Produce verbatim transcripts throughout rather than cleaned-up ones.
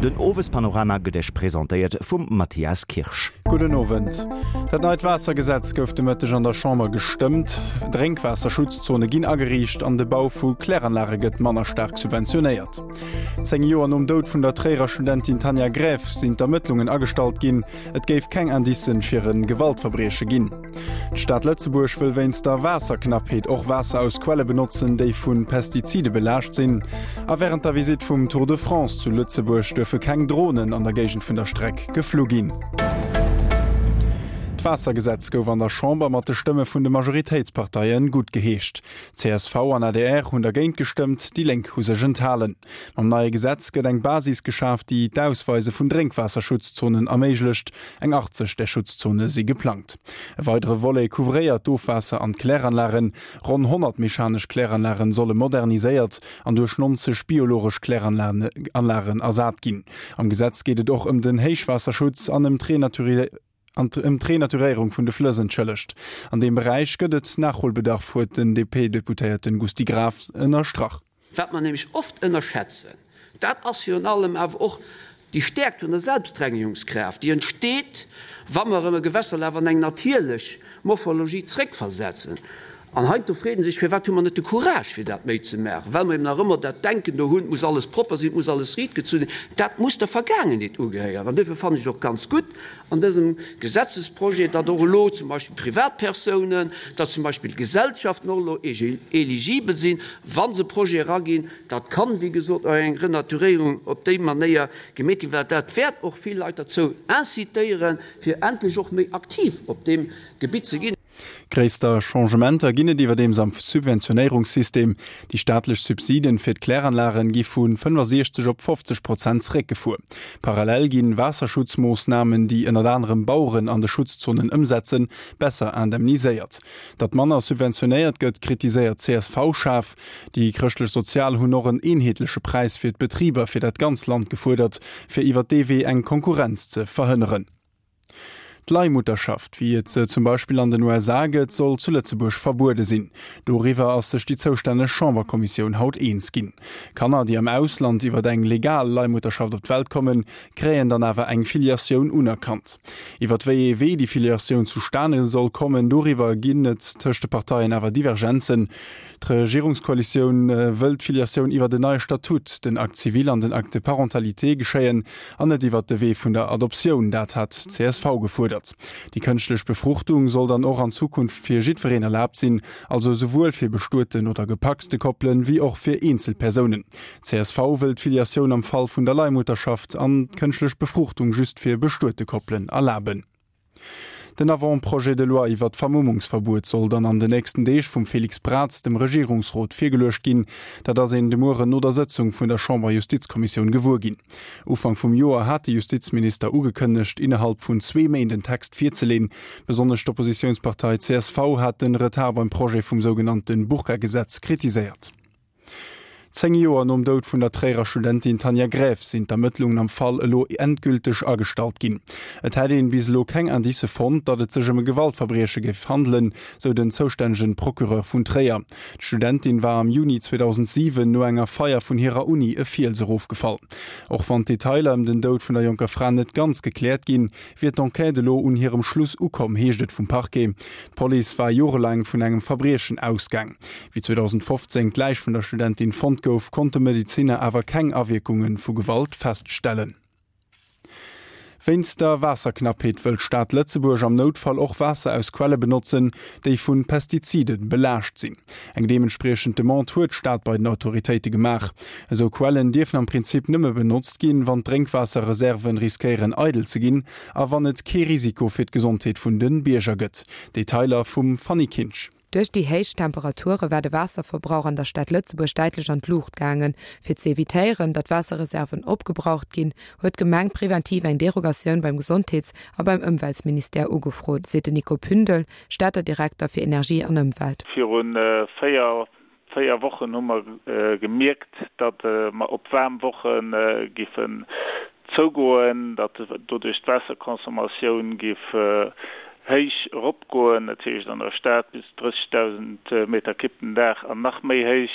Den Owespanorama gëtt Iech presentéiert vum Mathias Kirsch. Gudden Owend. Dat neit Waassergesetz gouf de Mëtteg an der Chamber gestëmmt. Drénkwaasserschutzzone ginn ageriicht an de Bau vu Kläranlage gëtt manner staark subventionéiert. Zéng Joer nom Doud vun der Tréierer Studentin Tanja Gräf sinn d'Ermëttlungen agestallt ginn. Et géif keng Indicen fir e Gewaltverbrieche ginn. D'Stad Lëtzebuerg wëll wéinst der Waasserknappheet och Waasser aus Quelle benotzen, déi vu Pestizide belaascht sinn. A wärend der Visitt vum Tour de France zu Lëtzebuerg duerfe keng Dronen an der Géigend vun der Streck geflu ginn. D'Waassergesetz gouf an der Chamber mat de Stëmme vun de Majoritéitsparteien guttgeheescht. Csv an adr hunn dergéint gestëmmt, déi Lénk hu sech enthalen. Mam neie Gesetz gëtt eng Basis geschaf, déi d'Ausweise vun Drénkwaasserschutzzonen erméiglecht. Eng achtzeg där Schutzzone si geplangt. E weidere Volet couvréiert d'Ofwaasser an d'Kläranlagen. Ronn honnert mechanesch Kläranlagen solle moderniséiert an duerch neunzeg biologesch Kläranlagen ersat ginn. Am Gesetz geet et och ëm den Héichwaasserschutz an ëm ëm d'Renaturéierung vun de Flëss, entschëllegt. An deem Beräich gëtt et Nachholbedarf, huet den D P-Deputéierte Gusty Graas ënnerstrach. Wat mer nämlech oft ënnerschätzen, dat ass virun allem awer och déi Stäerkt vun der Selbstrengegungskraaft, déi entsteet, wa mer erëm e Gewässerlaf an eng natierlech Morphologie zréckversetzen. An heiansdo freet ee sech, Firwat hu mer net de Courage, fir dat méi ze maachen? Well mer eben nach ëmmer dat Denken do hunn, et muss alles propper sinn, et muss alles riit gezunn sinn. Dat muss der Vergaangenheet ugehéieren. An duerfir fannen ech et och ganz gutt an dësem Gesetzesprojet, datt och elo zum Beispill Privatpersounen, datt zum Beispill Gesellschaften och elo eligibel sinn, wa se Projete eraginn. Dat kann, wéi gesot, och eng Renaturéierung op déi Manéier gemeet ginn, well dat wäert och vill Leit derzou incitéieren, fir endlech och méi aktiv op deem Gebitt ze ginn. Gréisster Changementer ginn et iwwerdeems am Subventionéierungssystem. Déi staatlech Subsiden fir d'Kläranlagen gi vu fënnefasiechzeg op fofzeg Prozent zeréckgefuer. Parallel ginn Waasserschutzmoossnamen, déi ënnert anerem Baueren an de Schutzzonen ëmsetzen, besser indemniséiert. Datt manner subventionéiert gëtt, kritiséiert d'C S V schaarf. Déi Chrëschtlech-Sozial hunn och en eenheetleche Präis fir d'Betriber fir dat ganz Land gefuerdert, fir iwwer dee Wee eng Konkurrenz ze verhënneren. D'Leihmutterschaft, wéi et se zum Beispill an den U S A gëtt, soll zu Lëtzebuerg verbuede sinn. Doriwwer ass sech déi zoustänneg Chamberkommissioun haut eens ginn. Kanner, déi am Ausland iwwer eng legal Leihmutterschaft op d'Welt kommen, kréien dann awer eng Filiatioun unerkannt. Iwwer wéi ee Wee déi Filiatioun zustane soll kommen, doriwwer ginn et tëscht de Parteien awer Divergenzen. D'Regierungskoalitioun wëll d'Filiatioun iwwer den neie Statut, den Acte civil an den Acte de parentalité geschéien an net iwwer de Wee vun der Adoptioun, dat hat d'C S V gefuerdert. Déi kënschtlech Befruchtung soll dann och an Zukunft fir jiddwereen erlaabt sinn, also souwuel fir bestueten oder gepacste Koppelen, wéi och fir Eenzelpersounen. C S V wëll d'Filiatioun am Fall vun der Leihmutterschaft an d'kënschtlech Befruchtung just fir bestuete Koppelen erlaben. Den Avant-projet de loi iwwer d'Vermummungsverbuet soll dann an den nächsten Deeg vum Félix Braz dem Regierungsrot virgeluecht ginn. Dat ass een de Mueren no der Sëtzung vun der Chamberjustizkommissioun gewuer ginn. Ufank vum Joer hat de Justizminister ugekënnegt, innerhalb vun zwee Méint den Text virzeleeën. Besonnesch d'Oppositiounspartei C S V hat den Retard beim Projet vum sougenannte Burka-Gesetz kritiséiert. Zéng Joer nom Doud vun der Tréierer Studentin Tanja Gräf sinn d'Ermëttlungen am Fall elo endgülteg agestallt ginn. Et hätt een bis elo keng Indicë fonnt, datt et sech ëm e Gewaltverbrieche géif handelen, sou den zoustännege Procureur vun Tréier. D'Studentin war am Juni zweedausendsiwen no enger Feier vun hirer Uni e Fiels erofgefall. Och wann d'Detailer ëm den Doud vun der jonker Fra net ganz gekläert ginn, wier d'Enquête elo un hirem Schluss ukomm, heescht et vum Parquet. D'Police war jorelaang vun engem Verbriechen ausgaang. Wéi zweedausendfofzéng d'Läich vun der Studentin fonnt gouf, konnte Medeziner awer keng Awierkunge vu Gewalt feststellen. Wéinst der Waasserknappheet wëll d'Stad Lëtzebuerg am Noutfall och Waasser aus Quelle benotzen, déi vu Pestizide belaascht sinn. Eng deementspriechend Demande huet d'Stad bei den Autoritéite gemaach. Esou Quellen dierfen am Prinzip nëmme benotzt ginn, wann d'Drénkwaasserreserven riskéieren eidel ze ginn a wann et kee Risiko fir d'Gesondheet vun de Bierger gëtt. Detailer vum Fanny Kinsch. Duerch déi héich Temperature war de Waasserverbrauch an der Stad Lëtzebuerg däitlech an d'Luucht gaangen. Fir ze evitéieren, datt Waasserreserven opgebraucht ginn, huet d'Gemeng preventiv eng Derogatioun beim Gesondheets a beim Ëmweltministère ugefrot, seet den Nico Pündel, Stater Direkter fir Energie an Ëmwelt. Virun véier véier Wochen hu mer gemierkt, datt mer op waarm Woche géifen zougoen, datt doduerch d'Waasserconsommatioun géif héich eropgoen, dat heescht an der Stad bis drëssegdausend Meter Kibb den Dag an nach méi héich.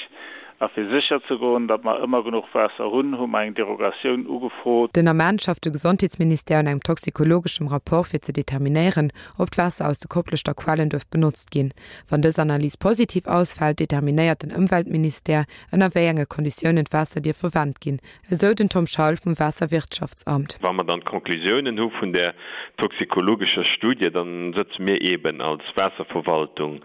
A fir sécher ze goen, datt mer ëmmer genuch Waasser hunn, hu mer eng Derogatioun ugefrot. Den Ament schafft de Gesondheetsministère un engem toxikologeschem Rapport fir ze determinéieren, ob d'Waasser aus de Kopleschter Quellen duerf benotzt ginn. Wann dës Analys positiv ausfält, determinéiert den Ëmweltministère, ënner wéi enge Konditiounen d'Waasser dierf verwent ginn, esou den Tom Schaul vum Waasserwirtschaftsamt. Wa mer dann d'Conclusiounen hu vun där toxikologescher Studie, dann sëtze mir eeben als Waasserverwaltung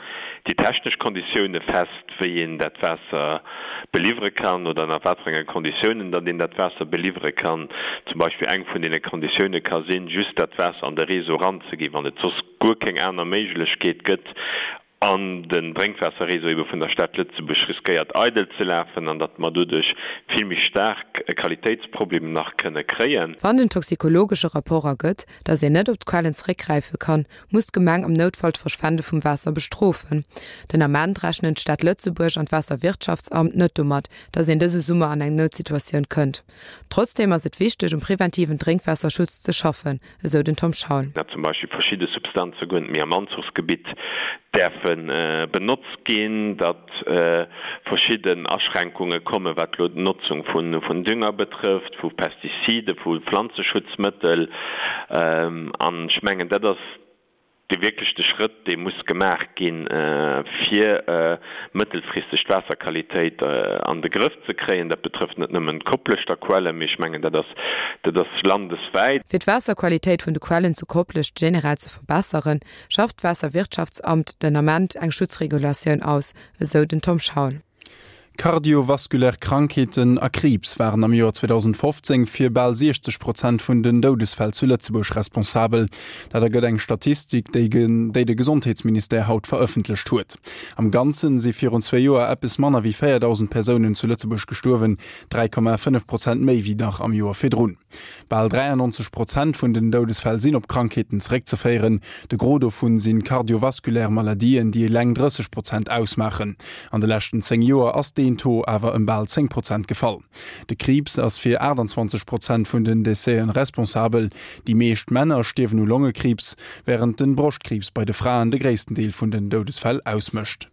déi technesch Konditioune fest, wéi een dat Waasser beliwwere kann oder ënner wat fir enge Konditiounen datt een dat Waasser beliwwere kann. Zum Beispill eng vun deene Konditioune ka sinn, just dat Waasser an de Réseau eranzeginn, wann et soss guer keng aner Méiglechkeet gëtt an den Drénkwaasserréseau ebe vun der Stad Lëtzebuerg riskéiert eidel ze lafen an datt mer doduerch vill méi staark e Qualitéitsproblem nach kënne kréien. Wann den toxikologesche Rapport ergëtt, datt een net op d'Quellen zeréckgräife kann, muss d'Gemeng am Noutfall d'Verschwende vum Waasser bestrofen. Den Ament rechnen d'Stad Lëtzebuerg an d'Waasserwirtschaftsamt net domat, datt een dëse Summer an eng Noutsituatioun kënnt. Trotzdeem ass et wichteg, um preventiven Drénkwaasserschutz ze schaffen, esou den Tom Schaul. Datt zum Beispill verschidde Substanze guer net méi am Anzuchsgebitt däerfe benotzt ginn, datt verschidden Aschränkunge kommen, wat elo d'Notzung vun Dünger betrëfft, vu Pestizide, vu Pflanzeschutzmëttel. An ech mengen, dat ass dee wierklech de Schrëtt, dee muss gemaach ginn, fir mëttelfristeg d'Waasserqualitéit an de Grëff ze kréien. Dat betrëfft net nëmmen d'Kopleschter Quellen, mee ech mengen, dat ass, dat ass landeswäit. Fir d'Waasserqualitéit vun de Quellen zu Koplescht generell ze verbesseren, schafft d'Waasserwirtschaftsamt den Ament eng Schutzregulatioun aus, esou den Tom Schaul. Kardiovaskulär Krankheeten a Kriibs waren am Joer zweedausendfofzéng fir bal siechzeg Prozent vun den Doudesfäll zu Lëtzebuerg responsabel. Dat ergëtt eng Statistik, déi déi de Gesondheetsministère haut verëffentlecht huet. Am Ganzen si virun zwee Joer eppes manner wéi véierdausend Persounen zu Lëtzebuerg gestuerwen, dräi Komma fënnef Prozent méi wéi nach am Joer virdrun. Bal dräiannonzeg Prozent vun den Doudesfäll sinn op Krankheeten zeréckzeféieren. De Gros dovun si kardiovaskulär Maladien, déi eleng drësseg Prozent ausmaachen. An de leschten zéng Joer ass deen Taux awer ëm bal zéng Prozent gefall. De Kriibs ass fir aachtanzwanzeg Prozent vun den Décèsen responsabel. Déi meescht Männer stierwen u Longekriibs, wärend de Broschtkriibs bei de Fraen de gréissten Deel vun den Doudesfäll ausmécht.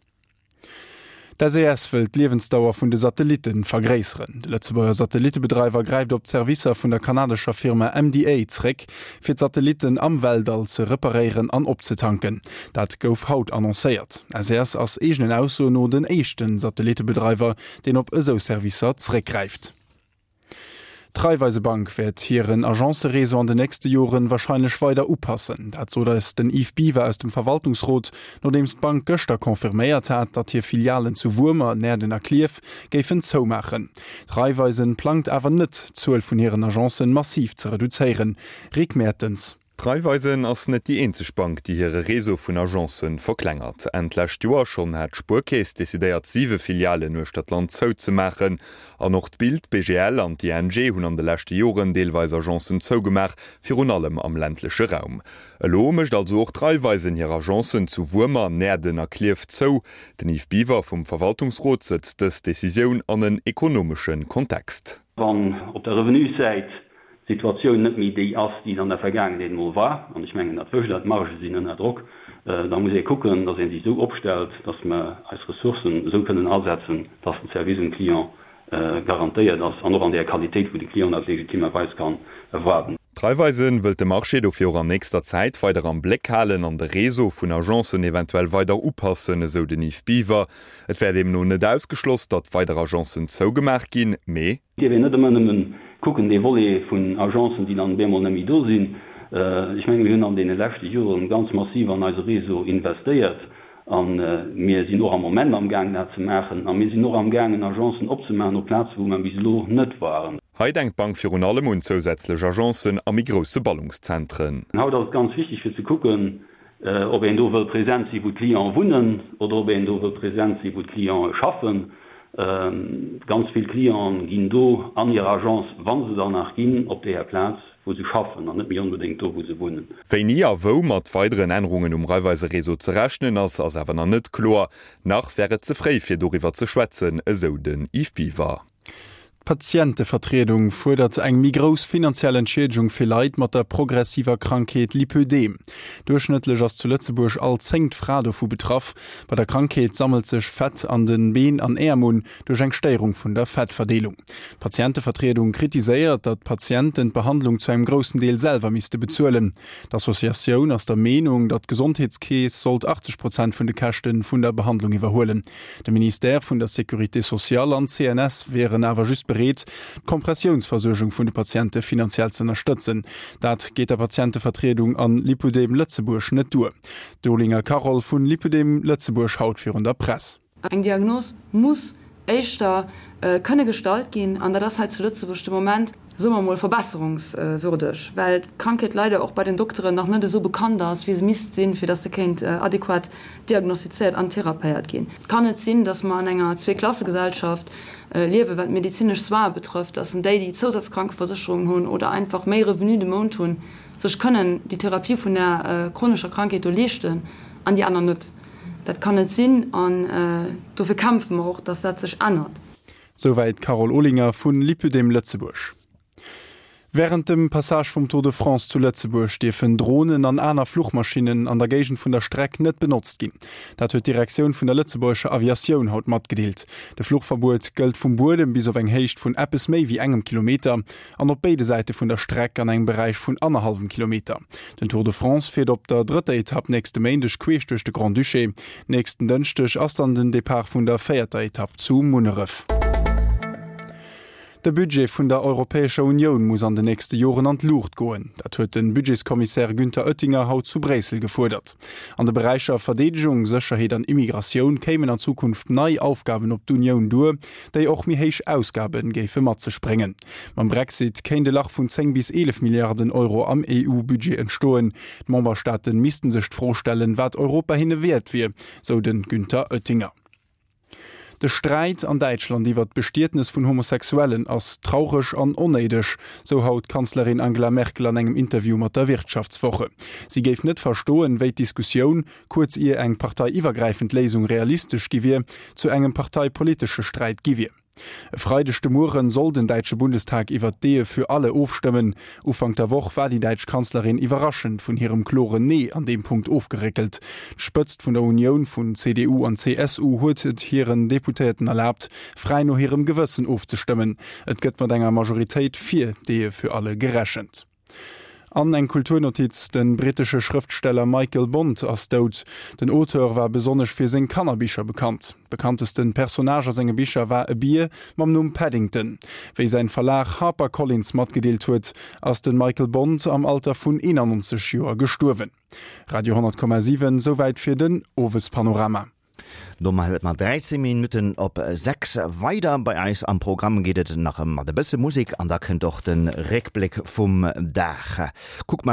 D'SES wëll d'Liewensdauer vun de Satellitte vergréisseren. De Lëtzebuerger Satellittebedreiwer gräift op d'Servicer vun der kanadescher Firma M D A zréck, fir d'Satellitten am Weltall ze reparéieren an opzetanken. Dat gouf haut annoncéiert. S E S ass eegenen Aussoen no den éischte Satellittebedreiwer, deen op esou Servicer zréckgräift. D'Raiffeisebank wäert hiren Agencëreseau an den nächste Joren warscheinlech weider upassen. Dat sot eis den Yves Biver aus dem Verwaltungsrot, nodeems d'Bank gëschter confirméiert hat, datt hir Filialen zu Wuermer, Näerden a Klierf géifen zoumaachen. D'Raiffeisen plangt awer net, d'Zuel vun hiren Agencen massiv ze reduzéieren. Rick Mertens. D'Raiffeisen ass net déi eenzeg Bank, déi hire Réseau vun Agencen verklengert. Enn d'lescht Joer schonn hat d'Spuerkeess decidéiert, siwe Filialen uechter d'Land zouzemaachen. An och d'Bild, d'B G L an d'I N G hunn an de leschte Joren deelweis Agencen zougemaach, virun allem am ländleche Raum. Elo mécht also och d'Raiffeisen hir Agencen zu Wuermer, Näerden a Klierf zou. Den Yves Biver vum Verwaltungsrot sëtzt dës Decisioun an en ekonomesche Kontext. Wann op der Revenussäit d'Situatioun net méi déi ass, déi se an der Vergaangenheet emol war, an ech mengen, dat wësst Der, d'Margë sinn ënner Drock, da muss ee kucken, dass ee sech esou opstellt, dass mer eis Ressourcen esou kënnen asetzen, dass den Service um Client garantéiert ass an och an där Qualitéit, wou de Client dat legitimerweis kann erwaarden. D'Raiffeisen wëllt de Marché dofir och an nächster Zäit weider am Bléck halen an de Réseau vun Agencen eventuell weider upassen, esou den Yves Biver. Et wär deemno net ausgeschloss, datt weider Agencen zougemaach ginn, mee. Et dierf een net ëmmer nëmmen kucken, dee Volet vun Agencen, déi dann op eemol net méi do sinn. Ech menge mir hunn an deene leschte Joren ganz massiv an eise Réseau investéiert a mir sinn och am Moment amgaangen dat ze maachen a mir sinn och amgaangen Agencen opzemaachen op Plaze wou mer bis elo net waren. Hei denkt d'Bank virun allem un zousätzlech Agencen a méi grousse Ballungszentren. Haut ass et ganz wichteg fir ze kucken, ob een do wëll present sinn, wou d'Clienten wunnen oder ob een do wëll present sinn, wou d'Clienten schaffen. Ganz vill Clienten ginn do an hir Agence, wa se dann nach ginn, op deeër Plaz, wou se schaffen an net méi onbedéngt do, wou se wunnen. Wéini a wou mat weideren Ännerungen um Raiffeise-Réseau ze rechnen ass, ass awer nach net kloer. Nach wär et ze fréi fir doriwwer ze schwätzen, esou den Yves Biver. D'Patientevertriedung fuerdert eng méi grouss finanziell Entschiedegung fir Leit mat der progressiver Krankheet Lipödem. Duerchschnëttlech ass zu Lëtzebuerg all zéngt Fra dovu betraff. Bei der Krankheet sammelt sech Fett an de Been an Äerm un, duerch eng Stéierung vun der Fettverdeelung. D'Patientevertriedung kritiséiert, datt d'Patienten d'Behandlung zu engem groussen Deel selwer misste bezuelen. D'Associatioun ass der Meenung, datt d'Gesondheetskeess sollt achtzeg Prozent vun de Käschte vun der Behandlung iwwerhuelen. De Ministère vun der Sécurité sociale an d'CNS wieren awer just bereet, d'Kompressiounsversuergung vun de Patiente finanziell z'ënnerstëtzen. Dat geet der Patientevertriedung an Lipödem Lëtzebuerg net duer. D'Olinger Carole vun Lipödem Lëtzebuerg haut virun der Press. Eng Diagnos muss éischter kënne gestallt ginn, an dat ass hei zu Lëtzebuerg de Moment, soe mer emol, verbesserungswürdeg, well d'Krankheet leider och bei den Dokteren nach net esou bekannt ass, wéi se misst sinn, fir dass se kéint adequat diagnostizéiert an therapéiert ginn. Et kann net sinn, dass mer an enger Zweeklassegesellschaft liewen, wat d'medezinesch Soine betrëfft, dass déi, déi Zousazkrankeversécherungen hunn oder einfach méi Revenu de Mount hunn, sech kënnen déi Therapie vun där chronescher Krankheet do leeschten an déi aner net. Dat kann net sinn an dofir kämpfe mer och, dass dat sech ännert. Souwäit d'Carole Olinger vu Lipödem Lëtzebuerg. Wärend dem Passage vum Tour de France zu Lëtzebuerg dierfen Dronen an aner Fluchmaschinnen an der Géigend vun der Streck net benotzt ginn. Dat huet d'Direktioun vun der lëtzebuergescher Aviatioun haut matgedeelt. De Fluchverbuet gëllt vum Buedem bis op eng Héicht vun eppes méi wéi engem Kilometer an op béide Säite vun der Streck an engem Beräich vun annerhallwem Kilometer. Den Tour de France fiert op der drëtter Etapp nächste Méindeg queesch duerch de Grand-Duché. Nächsten Dënschdeg ass dann den Depart vun der véierter Etapp zu Munneref. De Budget vun der Europäescher Unioun muss an den nächste Joren an d'Luucht goen. Dat huet de Budgetskommissär Günther Oettinger haut zu Bréissel gefuerdert. An de Beräicher Verdeedegung, Sécherheet an Immigratioun kéimen an Zukunft nei Aufgaben op d'Unioun duer, déi och méi héich Ausgabe géife mat sech bréngen. Mam Brexit kéint e Lach vun zéng bis eelef Milliarden Euro am E U-Budget entstoen. D'Memberstaate missten sech d'Fro stellen, wat Europa hinne wäert wier, sou de Günther Oettinger. De Sträit an Däitschland iwwert d'Bestietnes vun Homosexuellen ass traureg an onnéideg, sou haut d'Kanzlerin Angela Merkel an engem Interview mat der Wirtschaftswoche. Si géif net verstoen, wéi d'Diskussioun, kuerz ier eng parteiiwwergräifend Léisung realistesch gi wier, zu engem parteipolitesche Sträit gi wier. E Freideg de Mueren soll den däitsche Bundestag iwwert d'Ehe für alle ofstëmmen. Ufank der Woch war déi däitsch Kanzlerin iwwerraschend vun hirem kloren Nee an deem Punkt ofgeréckelt. D'Spëtzt vun der Unioun vun C D U an C S U huet et hiren Deputéierten erlaabt, fräi no hirem Gewëssen ofzestëmmen. Et gëtt mat enger Majoritéit fir d'Ehe für alle gerechent. An eng Kulturnotiz, De brittesche Schrëftsteller Michael Bond ass dout. Den Auteur war besonnesch fir seng Kannerbicher bekannt. Bekanntesten Personnage a senge Bicher war e Bier mam Numm Paddington. Wéi säin Verlag HarperCollins matgedeelt huet, ass de Michael Bond am Alter vun eenannonzeg Joer gestuerwen. Radio honnert Komma siwen, Souwäit fir den Owespanorama. Domat huet mer dräizéng Minutten op sechs. Weider bei eis am Programm geet et nach mat e bësse Musek an da kënnt och de Réckbléck vum Dag. Kuck mer